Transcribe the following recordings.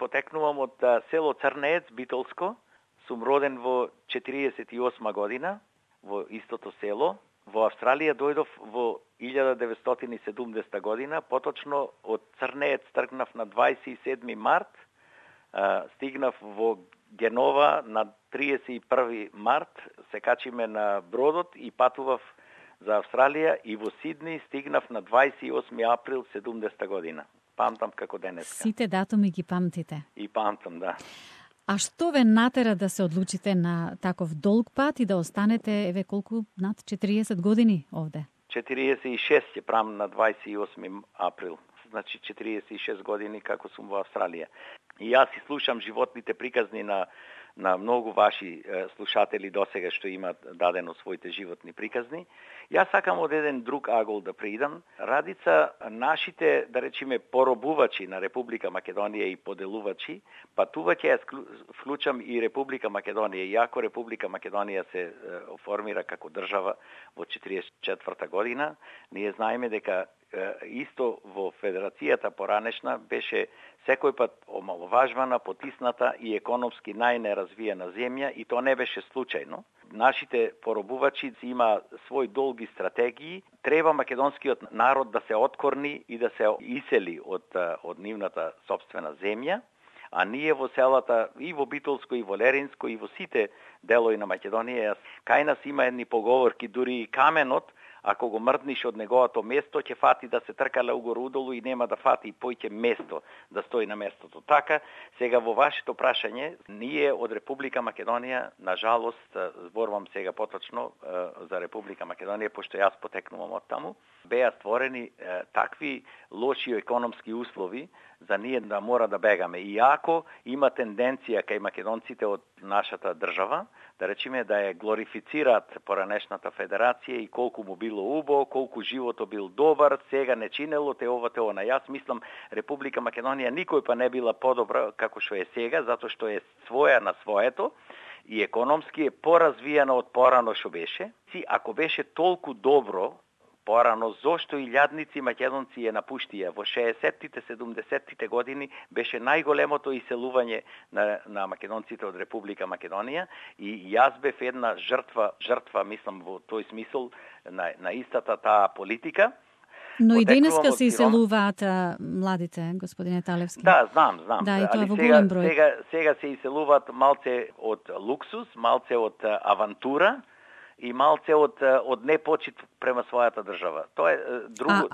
потекнувам од село Црнеец, Битолско. Сум роден во 48 година во истото село. Во Австралија дојдов во 1970 година, поточно од Црнеец тргнав на 27 март, стигнав во Генова на 31 март, се качиме на бродот и патував за Австралија и во Сидни стигнав на 28 април 70 година. Памтам како денеска. Сите датуми ги памтите? И памтам, да. А што ве натера да се одлучите на таков долг пат и да останете, еве колку, над 40 години овде? 46 ќе правам на 28 април. Значи 46 години како сум во Австралија. И јас си слушам животните приказни на многу ваши слушатели досега што имаат дадено своите животни приказни. Јас сакам од еден друг агол да преидам. Радица нашите, да речеме, поробувачи на Република Македонија и поделувачи, патување јас вклучам и Република Македонија. Иако Република Македонија се формира како држава во 44 година, ние знаеме дека исто во Федерацијата поранешна беше секој пат омаловажвана, потисната и економски најнеразвиена земја и тоа не беше случајно. Нашите поробувачи има свој долги стратегии. Треба македонскиот народ да се откорни и да се исели од нивната сопствена земја, а ние во селата и во Битолско и во Леринско и во сите делови на Македонија, кај нас има едни поговорки, дури и каменот, ако го мрдниш од неговото место, ќе фати да се тркале угору-удолу и нема да фати и појќе место да стои на местото. Така, сега во вашето прашање, ние од Република Македонија, на жалост, зборувам сега поточно за Република Македонија, пошто јас потекнувам од таму, беа створени такви лоши економски услови за ние да мора да бегаме. Иако има тенденција кај македонците од нашата држава, да речеме да ја глорифицираат поранешната федерација и колку му било убаво, колку животот бил добар, сега не чинело те ова те она. Јас мислам Република Македонија никој па не била подобра како што е сега, затоа што е своја на своето и економски е поразвиена од порано што беше. Ако беше толку добро порано, зошто илјадници македонци ја напуштија? Во 60-тите, 70-тите години беше најголемото иселување на македонците од Република Македонија и јас бев една жртва, мислам во тој смисол на истата таа политика. Но и денеска се иселуваат младите, господине Талевски. Да, знам. Да, и тоа во голем број. Сега се иселуваат малце од луксус, малце од авантура и малце од непочит према својата држава. Тоа е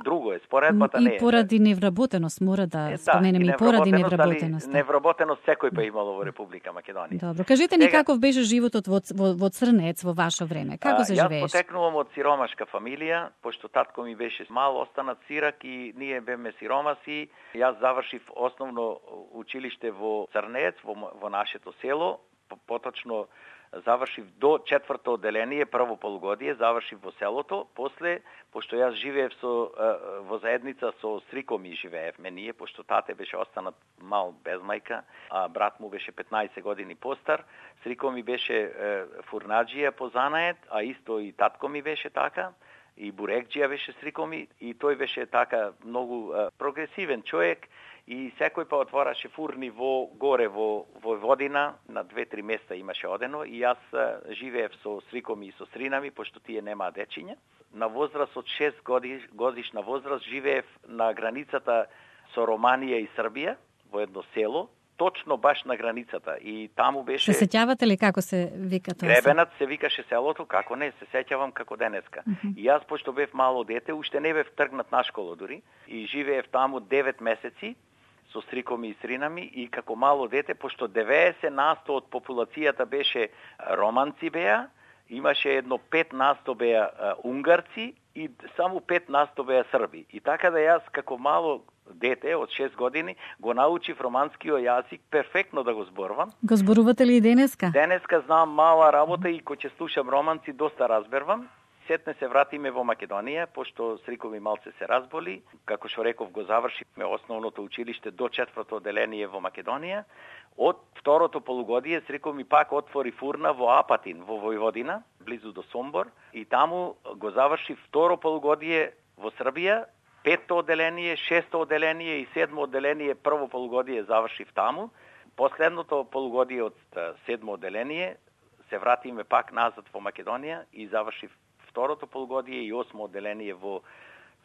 друго е, споредбата не е. И поради невработеност, мора да споменеме и поради невработеност. Невработеност секој па имало во Република Македонија. Добро, кажете ни каков беше животот во Црнеец во ваше време? Како се живееше? Јас потекнувам од сиромашка фамилија, пошто татко ми беше мал останат сирак и ние беме сиромаси. Јас завршив основно училиште во Црнеец, во нашето село, поточно завршив до 4-то одделение, прво полугодие, завршив во селото, после, пошто јас живеев во заедница со стриком и живеевме ние, пошто тате беше останат мал без мајка, а брат му беше 15 години постар, стриком ми беше фурнаџија по занаед, а исто и татко ми беше така, и бурекџија беше стриком ми, и тој беше така многу прогресивен човек, и секој па отвораше фурни горе во Војводина, на 2-3 места имаше одено, и јас живеев со стрикоми и со стринами, пошто тие немаа дечиња. На возраст од 6 годишна возраст живеев на границата со Романија и Србија, во едно село, точно баш на границата. И таму беше... Се сеќавате ли како се вика тоа? Гребенат се викаше селото, како не, се сеќавам како денеска. И јас, пошто бев мало дете, уште не бев тргнат на школа дури, и живеев таму 9 месеци, со стрикоми и стринами, и како мало дете, пошто 90% од популацијата беше романци беа, имаше едно 5% беа унгарци и само 5% беа срби. И така да јас како мало дете од 6 години го научив романскиот јазик перфектно да го зборувам. Го зборувате ли и денеска? Денеска знам мала работа и кога ќе слушам романци доста разбервам. Сетне се вратиме во Македонија, пошто стрикови малце се разболи. Како што реков, го завршивме основното училиште до 4-то одделение во Македонија. Од второто полугодие стрикови пак отвори фурна во Апатин, во Војводина, близу до Сомбор. И таму го заврши второ полугодие во Србија, 5-то одделение, 6-то одделение и 7-то одделение прво полугодие завршив таму. Последното полугодие од 7-то одделение се вратиме пак назад во Македонија и завршив второто полугодие и 8-то одделение во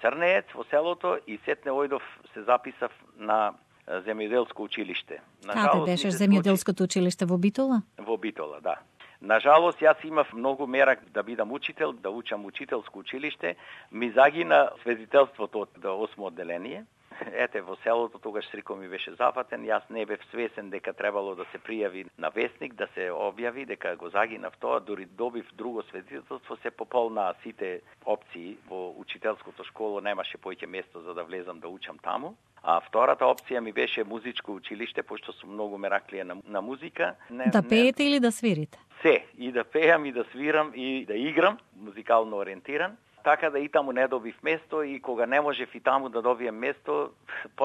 Црнеец, во селото, и сетне ојдов се записав на земјоделско училиште. Каде беше земјоделското училиште, во Битола? Во Битола, да. Нажалост, јас имав многу мерак да бидам учител, да учам учителско училиште. Ми загина сведителството од 8-то одделение. Ете, во селото тогаш сриком ми беше зафатен. Јас не бев свесен дека требало да се пријави на вестник, да се објави, дека го загинав тоа. Дури добив друго сведителство, се пополнаа сите опции во учителското школо, немаше поќе место за да влезам да учам таму. А втората опција ми беше музичко училиште, пошто сум многу мераклија на музика. Да пеете или да свирите? Се, и да пеам, и да свирам, и да играм, музикално ориентиран. Така да и таму не добив место, и кога не можев и таму да добием место,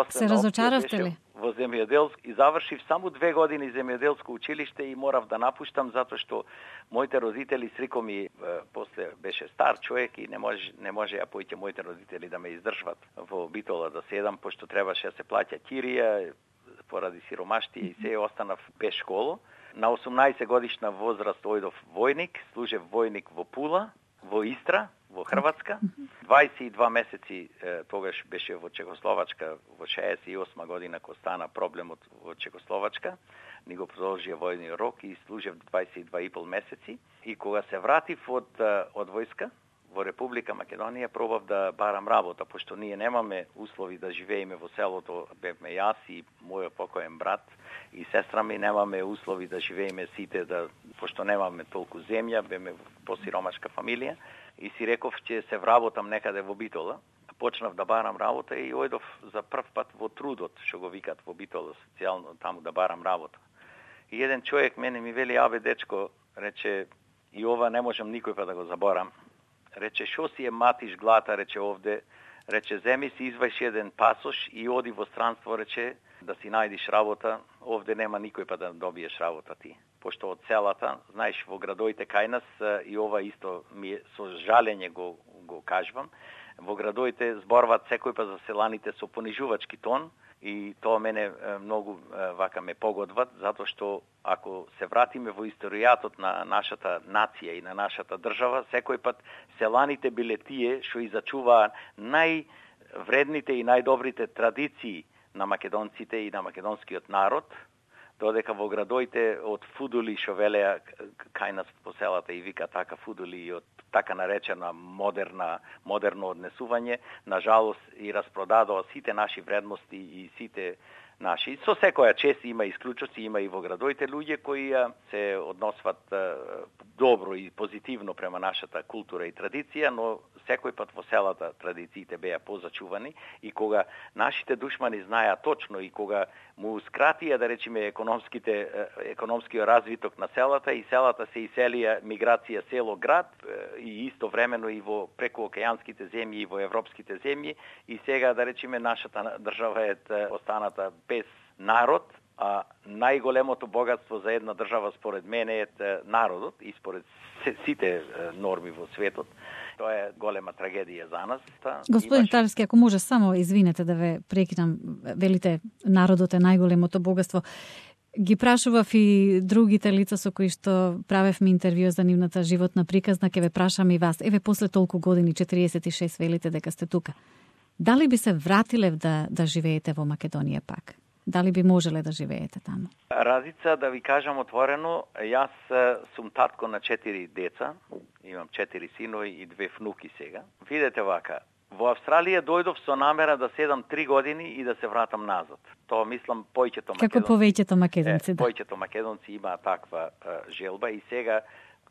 се разочаравте ли? Во земјоделско и завршив само 2 години земјоделско училиште и морав да напуштам затоа што моите родители срико ми после беше стар човек и не може поќе моите родители да ме издржват во Битола да седам, пошто требаше да се плаќа кирија поради сиромаштија и се останав без школо. На 18 годишна возраст ојдов војник, служев војник во Пула, во Истра, во Хрватска. 22 месеци тогаш беше во Чехословачка, во 68 година кога стана проблемот во Чехословачка. Ни го продолжија војниот рок и служев 22,5 месеци. И кога се вратив од војска во Република Македонија, пробав да барам работа, пошто ние немаме услови да живееме во селото, бевме јас и мојот покоен брат и сестра ми, немаме услови да живееме сите, пошто немаме толку земја, беме посиромашка фамилија. И си реков ќе се вработам некаде во Битола. Почнав да барам работа и ојдов за прв пат во трудот, што го викат во Битола, социјално таму да барам работа. И еден човек мене ми вели: "Абе дечко", рече, "и ова не можам никој па да го заборам." Рече: "Шо си матиш глата", рече, "овде", рече, "земи си извајш еден пасош и оди во странство", рече, "да си најдиш работа, овде нема никој па да добиеш работа ти." Пошто од селата, знаеш, во градоите кај нас, и ова исто ми со жалење го кажувам, во градоите зборват секој па за селаните со понижувачки тон, и тоа мене многу вака ме погодват, затоа што ако се вратиме во историјатот на нашата нација и на нашата држава, секој пат селаните биле тие што и зачуваа највредните и најдобрите традиции на македонците и на македонскиот народ, додека во градоите од фудули што велеа кај нас по селата и вика така фудули и од така наречена модерно однесување, на жалост и распродадоа сите наши вредности и сите наши. Со секоја чест има исклучоци, има и во градоите луѓе кои се односват добро и позитивно према нашата култура и традиција, но секој пат во селата традициите беа позачувани, и кога нашите душмани знаеа точно и кога муускратија, да речеме, економскиот развиток на селата, и селата се иселија миграција село-град, и истовремено и во прекуокеанските земји и во европските земји, и сега, да речеме, нашата држава е останата без народ, а најголемото богатство за една држава според мене е народот и според сите норми во светот. Тоа е голема трагедија за нас. Господин Талевски, ако може само, извинете да ве прекинам, велите народот е најголемото богатство. Ги прашував и другите лица со кои што правевме интервју за нивната животна приказна, ќе ве прашам и вас. Еве, после толку години, 46 велите дека сте тука. Дали би се вратиле да живеете во Македонија пак? Дали би можеле да живеете таму? Разица, да ви кажам отворено, јас сум татко на 4 деца, имам 4 синови и 2 внуки сега. Видете вака, во Австралија дојдов со намера да седам 3 години и да се вратам назад. Тоа мислам појќето македонци. Како повеќето македонци, да. Појќето македонци имаа таква желба, и сега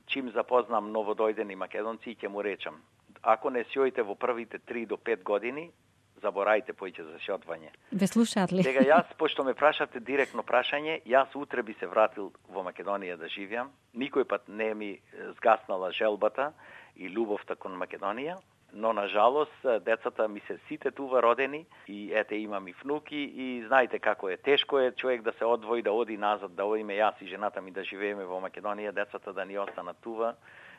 чим запознам новодојдени македонци ќе му речам: ако не сјоите во првите 3 до 5 години, заборајте поиќе за сјотвање. Ве слушаат ли? Сега јас, пошто ме прашавте директно прашање, јас утре би се вратил во Македонија да живеам. Никој пат не ми згаснала желбата и љубовта кон Македонија, но на жалост децата ми се сите тува родени, и ете имам и внуки, и знаете како е. Тешко е човек да се одвои, да оди назад, да одиме јас и жената ми да живееме во Македонија, децата да ни останат тува,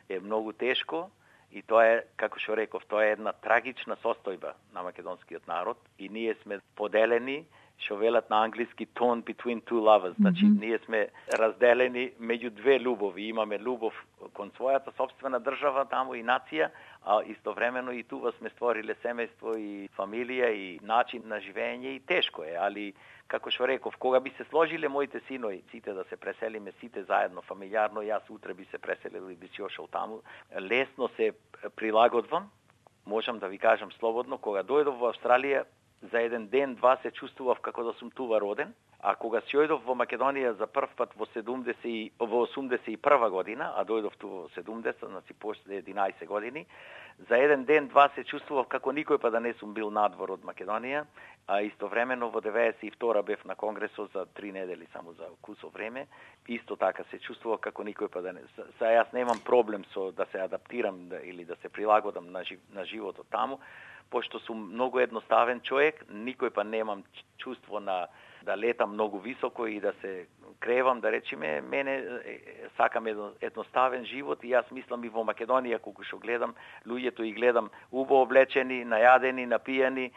е многу тешко. И тоа е, како што реков, тоа е една трагична состојба на македонскиот народ и ние сме поделени, што велат на англиски torn between two lovers. Значи, ние сме разделени меѓу две љубови. Имаме љубов кон својата собствена држава таму и нација, а истовремено и тува сме створиле семејство и фамилија и начин на живење и тешко е, али како што реков, кога би се сложиле моите синови, сите да се преселиме, сите заедно, фамилиарно, јас утре би се преселил и би си ошол таму, лесно се прилагодвам, можам да ви кажам слободно, кога дојдов во Австралија, за еден ден, два се чувствував како да сум тува роден, а кога си ојдов во Македонија за прв пат во 81 година, а дојдов тува во 70, значи после 11 години, за еден ден, два се чувствував како никој па да не сум бил надвор од Македонија, а истовремено во 92 бев на Конгресот за 3 недели само за кусо време, исто така се чувствував како никој па да не... Јас немам проблем со да се адаптирам или да се прилагодам на животот таму, пошто сум многу едноставен човек, никој па немам чувство на да летам многу високо и да се кревам, да речеме, мене сакам едноставен живот и јас мислам и во Македонија, кога што гледам, луѓето и гледам убаво облечени, најадени, напијани,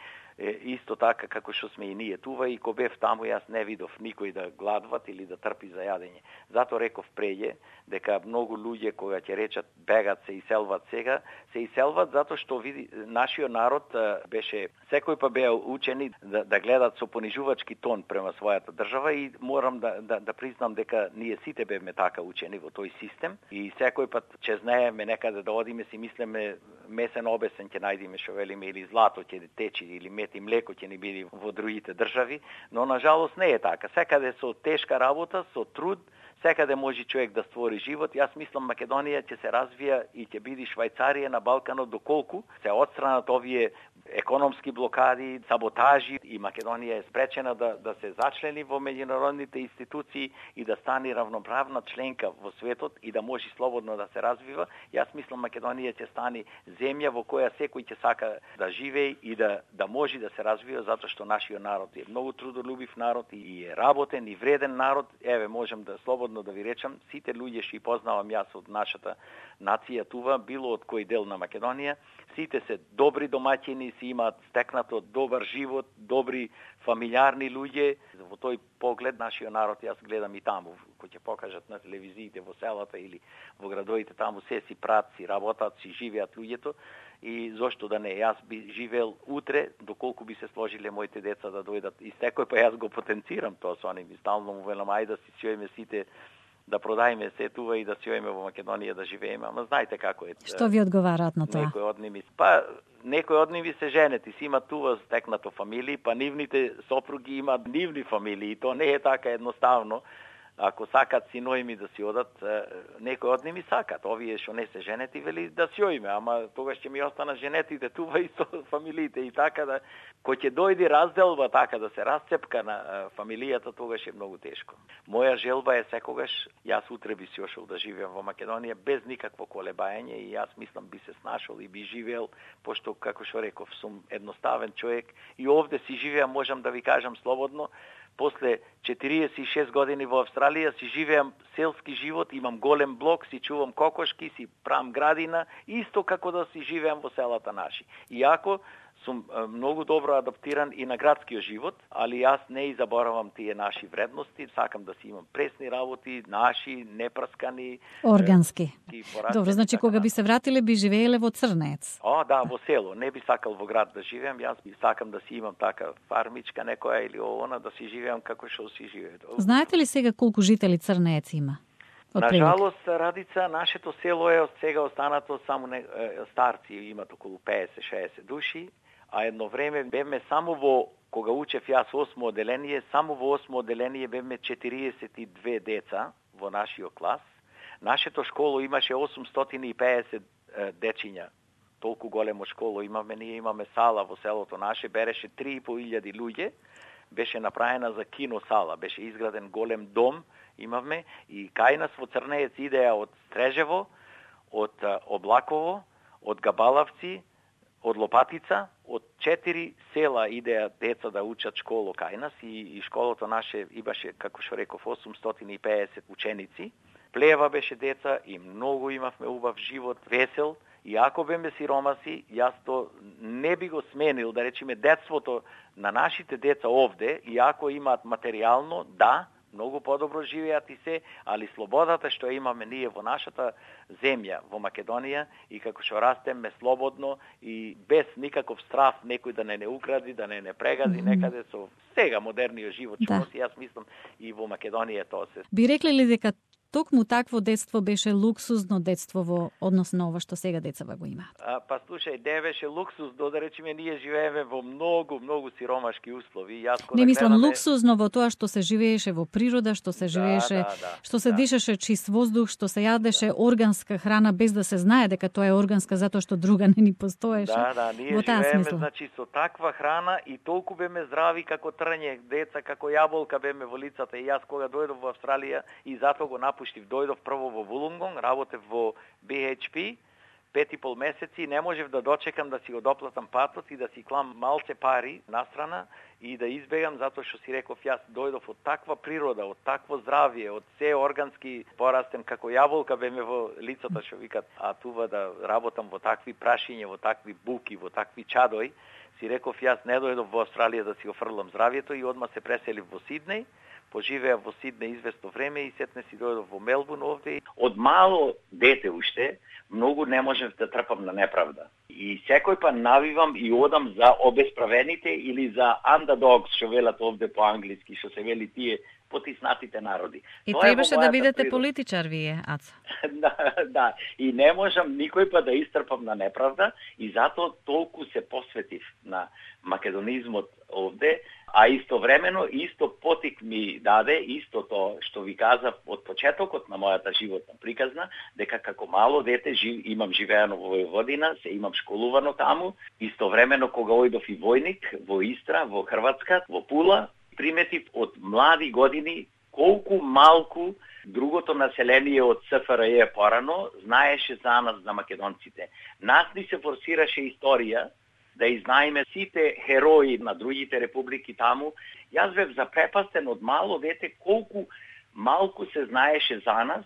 исто така како што сме и ние тува и кога бев таму јас не видов никој да гладват или да трпи за јадење. Зато реков преѓе дека многу луѓе кога ќе речат бегат се иселват сега, се иселват затоа што види нашиот народ беше секој па беа учени да гледат со понижувачки тон према својата држава и морам да признам дека ние сите бевме така учени во тој систем и секој пат че знаеме некаде да одиме си мислеме месен обесен ќе најдеме што велиме или злато ќе течи или мет и млеко ќе ни биде во другите држави, но на жалост не е така. Секаде со тешка работа, со труд, секаде може човек да створи живот. Јас мислам Македонија ќе се развија и ќе биде Швајцарија на Балканот доколку се отстранат овие економски блокади, саботажи и Македонија е спречена да се зачлени во меѓународните институции и да стане равноправна членка во светот и да може слободно да се развива. Јас мислам Македонија ќе стане земја во која секој ќе сака да живее и да може да се развива затоа што нашиот народ е многу трудолюбив народ и е работен и вреден народ. Еве можам да слободно да ви речам, сите луѓе што познавам јас од нашата нација тува, било од кој дел на Македонија, сите се добри домаќини, си имаат стекнато добар живот, добри фамилиарни луѓе. Во тој поглед нашиот народ јас гледам и таму, кој ќе покажат на телевизиите во селата или во градовите, таму се си прат, си работат, си живеат луѓето и зошто да не, јас би живеел утре, доколку би се сложиле моите деца да дојдат и секој па јас го потенцирам тоа со они, стално му велам ајде да си сиојме сите да продајме се тува и да си ојме во Македонија да живееме, ама знаете како е. Што ви одговараат на тоа? Некои од ними се женети, си имат тува стекнато фамилии, па нивните сопруги имаат нивни фамилии, то не е така едноставно. Ако сакат синови ми да си одат, некои од ними сакат, овие што не се женети вели да си ојме, ама тогаш ќе ми останат женетите тува и со фамилиите и така да кој ќе дојде разделба така да се расцепка на фамилијата, тогаш е многу тешко. Моја желба е секогаш јас утре би си ошол да живеам во Македонија без никакво колебање и јас мислам би се снашол и би живеел, пошто како што реков сум едноставен човек и овде си живеам, можам да ви кажам слободно. После 46 години во Австралија си живеам селски живот, имам голем блок, си чувам кокошки, си правам градина, исто како да си живеам во селата наши. Иако сум многу добро адаптиран и на градскиот живот, али јас не и заборавам тие наши вредности, сакам да си имам пресни работи, наши, непраскани, органски. Добро, значи кога би се вратиле би живееле во Црнец? Да, во село. Не би сакал во град да живеам, јас би сакам да си имам така фармичка некоја или она да си живеам како што си живее. Знаете ли сега колку жители Црнец има? На жалост, Радица, нашето село е од сега останато само старци, имат околу 50-60 души, а едно време бевме само кога учев јас 8 оделение, само во 8 оделение бевме 42 деца во нашиот клас. Нашето школо имаше 850 дечиња. Толку големо школо имаме, ние имаме сала во селото наше, береше 3500 луѓе, беше направена за кино сала, беше изграден голем дом, имавме и кај нас во Црнеец идеја од Стрежево, од Облаково, од Габалавци, од Лопатица, од 4 села идеја деца да учат школо кај нас и школото наше имаше, како што реков, 850 ученици. Плева беше деца и многу имавме убав живот, весел И ако беме сиромаси, јас то не би го сменил, да речеме, детството на нашите деца овде, и ако имаат материјално, да, многу подобро живеат и се, али слободата што имаме ние во нашата земја, во Македонија, и како што растеме слободно и без никаков страф некој да не укради, да не прегази некаде со сега модерниот живот, што носи, јас мислам и во Македонија тоа се. Би рекле ли дека токму такво детство беше луксузно детство во однос на ова што сега децава го имаат? Па слушај, не беше луксуз, да речеме, ние живееме во многу сиромашки услови. Не мислам луксузно во тоа што се живееше во природа, што се живееше, што се дишаше чист воздух, што се јадеше органска храна без да се знае дека тоа е органска затоа што друга не ни постоеше. Ние живееме, значи, со таква храна и толку беме здрави како трње, деца како јаболка беме во лицата. И јас кога дојдов во Австралија и затоа го дојдов прво во Вулунгонг, работев во BHP, 5,5 месеци, не можев да дочекам да си го доплатам патот и да си клам малце пари настрана и да избегам, затоа што си реков, јас дојдов од таква природа, од такво здравје, од се органски, порастем како јаболка беме во лицата, што викат, а тува да работам во такви прашиња, во такви буки, во такви чадој, си реков, јас не дојдов во Австралија да си го фрлам здравјето и одма се преселив во Сиднеј. Поживеа во Сиднеј известно време и сетне си дојдов во Мелбурн овде. Од мало дете уште, многу не можев да трпам на неправда. И секој па навивам и одам за обесправените или за underdogs, што велат овде по англиски, што се вели тие потиснатите народи. И требаше да бидете политичар вие, Ацо. Да, и не можам никој па да истрпам на неправда и затоа толку се посветив на македонизмот овде, а истовремено исто потик ми даде истото што ви казав од почетокот на мојата животна приказна, дека како мало дете имам живеано во Војводина, се имам школувано таму, истовремено кога ојдов и војник во Истра, во Хрватска, во Пула, приметив од млади години колку малку другото население од СФРЈ порано знаеше за нас, за македонците. Нас ни се форсираше историја да изнаеме сите херои на другите републики таму. Јас бев запрепастен од мало дете колку малку се знаеше за нас,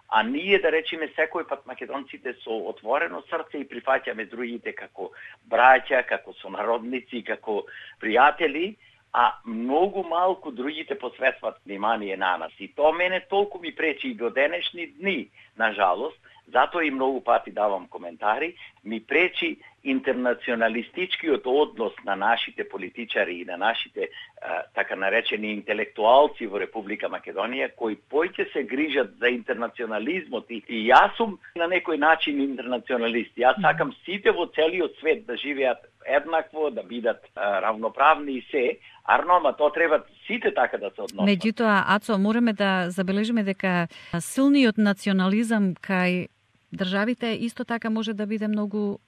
а ние, да речеме, секој пат македонците со отворено срце и прифаќаме другите како браќа, како сонародници, како пријатели, а многу малку другите посветват внимание на нас. И тоа мене толку ми пречи и до денешни дни, на жалост, затоа и многу пати давам коментари, ми пречи интернационалистичкиот однос на нашите политичари и на нашите така наречени интелектуалци во Република Македонија, кои поќе се грижат за интернационализмот и јас сум на некој начин интернационалист. Јас сакам сите во целиот свет да живеат еднакво, да бидат равноправни и се, арнома тоа треба сите така да се односат. Меѓутоа, Ацо, мораме да забележиме дека силниот национализам кај државите исто така може да биде многу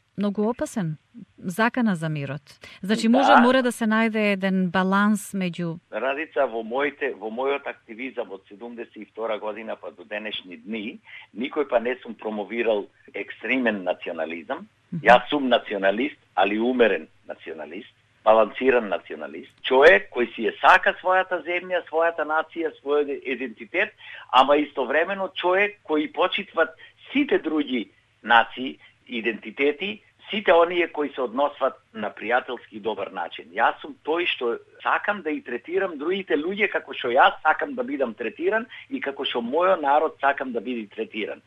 опасен, закана за мирот. Значи мора да се најде еден баланс меѓу Радица, во мојот активизам од 72 година па до денешни дни, никој па не сум промовирал екстремен национализам. Јас сум националист, али умерен националист, балансиран националист. Човек кој си сака својата земја, својата нација, својот идентитет, ама истовремено човек кој почитват сите други нации, идентитети, сите оние кои се односват на пријателски и добар начин. Јас сум тој што сакам да и третирам другите луѓе како што јас сакам да бидам третиран и како што мојот народ сакам да биде третиран.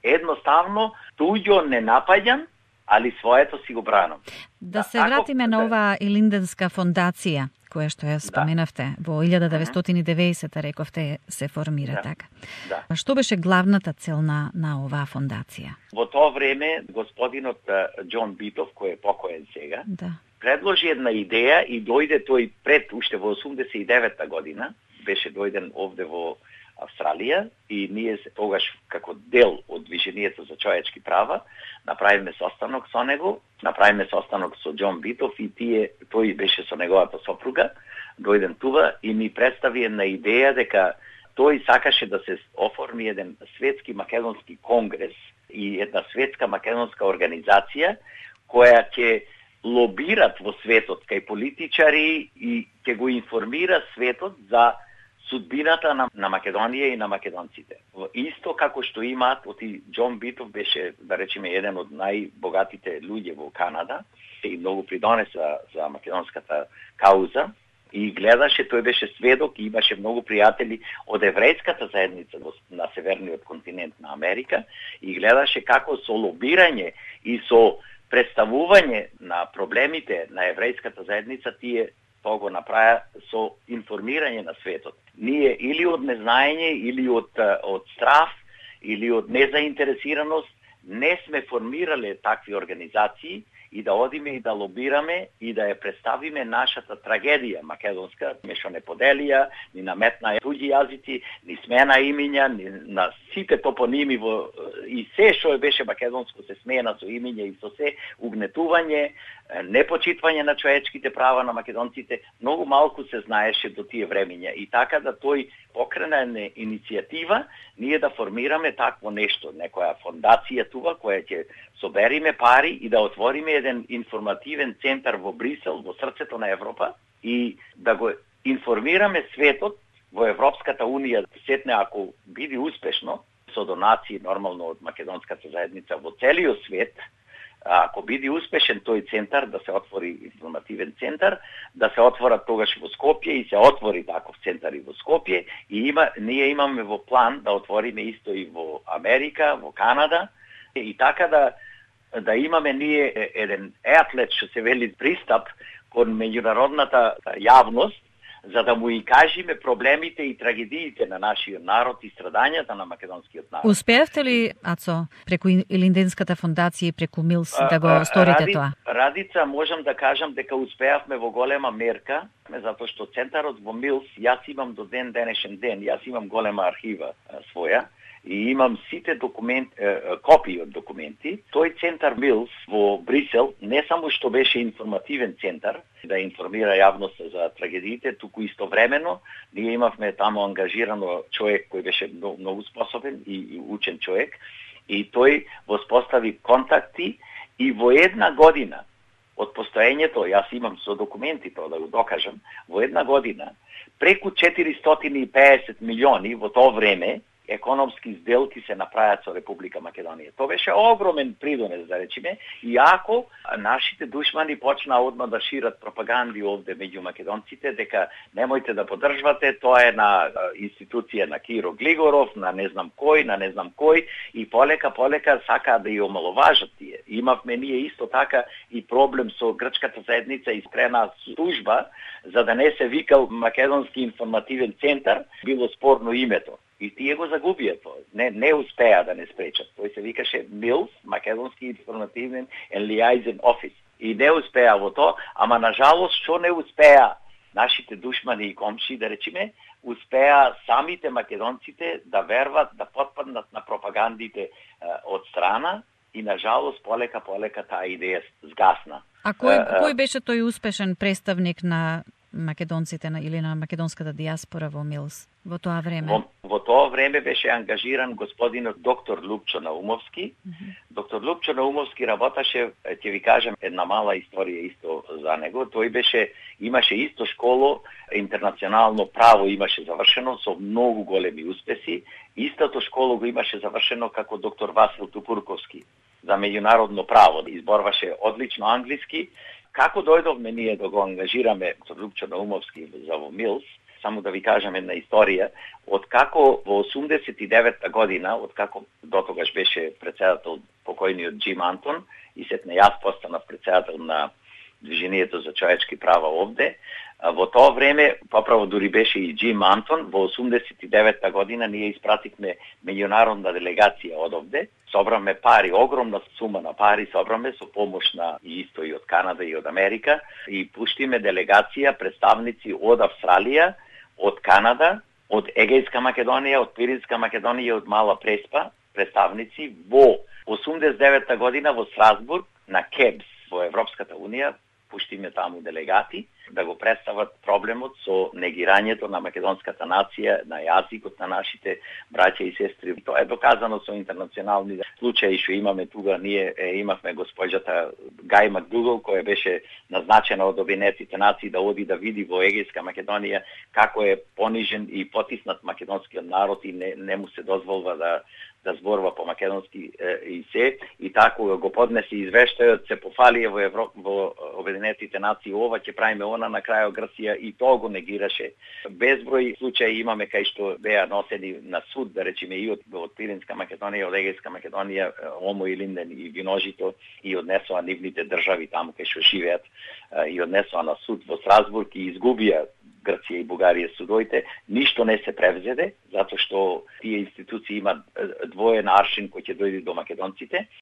Едноставно, туѓо не напаѓам, али своето си го бранам. Да се вратиме на ова Илинденска фондација, која што ја споменавте, во 1990 рековте се формира така. Што беше главната цел на оваа фондација? Во тоа време господинот Џон Битов, кој е покоен сега, предложи една идеја и дојде тој пред уште во 89-та година, беше дојден овде во Австралија и ние тогаш како дел од Движението за човечки права направиме состанок со него, направиме состанок со Џон Битов и тој беше со неговата сопруга, дојден тува и ми представи една идеја дека тој сакаше да се оформи еден светски македонски конгрес и една светска македонска организација која ќе лобират во светот кај политичари и ќе го информира светот за судбината на Македонија и на македонците. исто како што имаат, оти Џон Битов беше, да речеме, еден од најбогатите луѓе во Канада и многу придонеса за македонската кауза. И гледаше, тој беше сведок и имаше многу пријатели од еврејската заедница на северниот континент на Америка и гледаше како со лобирање и со представување на проблемите на еврејската заедница тие тоа го направи со информирање на светот. Ние или од незнаење, или од страв, или од незаинтересираност не сме формирале такви организации и да одиме и да лобираме и да ја представиме нашата трагедија македонска, што не поделија, ни наметна туѓи јазици, ни смена имиња, ни на сите топоними и се што беше македонско се смена со имиња и со се угнетување, непочитвање на човечките права на македонците, многу малку се знаеше до тие времиња и така да тој покрена иницијатива ние да формираме такво нешто, некоја фондација тука која ќе собериме пари и да отвориме еден информативен центар во Брисел, во срцето на Европа и да го информираме светот во Европската унија, сетне ако биде успешно со донации нормално од македонската заедница во целиот свет. Ако биде успешен тој центар, да се отвори информативен центар, да се отворат тогаш во Скопје и се отвори таков центар и во Скопје и ние имаме во план да отвориме исто и во Америка, во Канада и така да имаме ние еден атлет што се вели пристап кон меѓународната јавност за да му и кажеме проблемите и трагедиите на нашиот народ и страдањата на македонскиот народ. Успеавте ли, Ацо, преку Илинденската фондација и преку Милс да го сторите тоа? Радица, можам да кажам дека успеавме во голема мерка, затоа што центарот во Милс, јас имам до денешен ден, јас имам голема архива своја, и имам сите копии од документи. Тој центар Милс во Брисел не само што беше информативен центар, да информира јавноста за трагедиите, туку истовремено ние имавме таму ангажирано човек кој беше многу способен и учен човек и тој воспостави контакти и во една година од постоењето, јас имам со документи тоа да го докажам, во една година преку 450 милиони во тоа време економски сделки се направиат со Република Македонија. Тоа беше огромен придонес, да речеме, иако нашите душмани почнаа одма да шират пропаганди овде меѓу македонците, дека немојте да поддржвате, тоа е на институција на Киро Глигоров, на не знам кој, и полека сакаа да ја омаловажат тие. Имавме ние исто така и проблем со грчката заедница и скрена служба, за да не се викал Македонски информативен центар, било спорно името. И тие го загубија тоа. Не успеа да не спречат. Тој се викаше Милс, Македонски информативен and liaison office. И не успеа во тоа, ама на жалост што не успеа нашите душмани и комши, да речеме, успеа самите македонците да верват, да потпаднат на пропагандите од страна и на жалост полека таа идеја згасна. А кој беше тој успешен представник на македонците или на македонската диаспора во Милс во тоа време? Во тоа време беше ангажиран господинот доктор Лупчо Наумовски. Доктор Лупчо Наумовски работеше, ќе ви кажам една мала историја исто за него. Тој имаше исто школо, интернационално право имаше завршено со многу големи успеси. Истото школо го имаше завршено како доктор Васил Тупурковски за меѓународно право. Изборваше одлично англиски. Како дојдовме ние да го ангажираме доктор Лупчо Наумовски за во Милс, само да ви кажам една историја, откако во 89-та година, откако дотогаш беше председател покојниот Џим Антон и сетне јас постанав председател на Движењето за човечки права овде, во тоа време, поправо дури беше и Џим Антон, во 89-та година ние испративме меѓународна делегација од овде, собраме пари, огромна сума на пари собраме со помош на исто и од Канада и од Америка и пуштиме делегација, представници од Австралија, од Канада, од Егејска Македонија, од Пиринска Македонија, од Мала Преспа, представници во 89-та година во Страсбург на КЕБС во Европската унија, пуштиме таму делегати да го представат проблемот со негирањето на македонската нација, на јазикот на нашите браќа и сестри. Тоа е доказано со интернационални случаи што имаме тука, ние имавме госпоѓата Гај Макдугал, која беше назначена од Обединетите нации да оди да види во Егејска Македонија како е понижен и потиснат македонскиот народ и не му се дозволува да зборува по македонски и се, и тако го поднесе извештајот, се пофалија во Обединетите нации, ова ќе правиме, она на крајот Грција и тоа го негираше. Безброј случаи имаме кај што беа носени на суд, да речеме и од Пиринска Македонија, од Егејска Македонија, Омо и Линден и Виножито, и однесоа нивните држави таму кај што живеат, и однесоа на суд во Страсбург и изгубија Грција и Бугарија судоите, ништо не се превзеде, затоа што тие институции имаат двоен аршин кој ќе дојде до македонците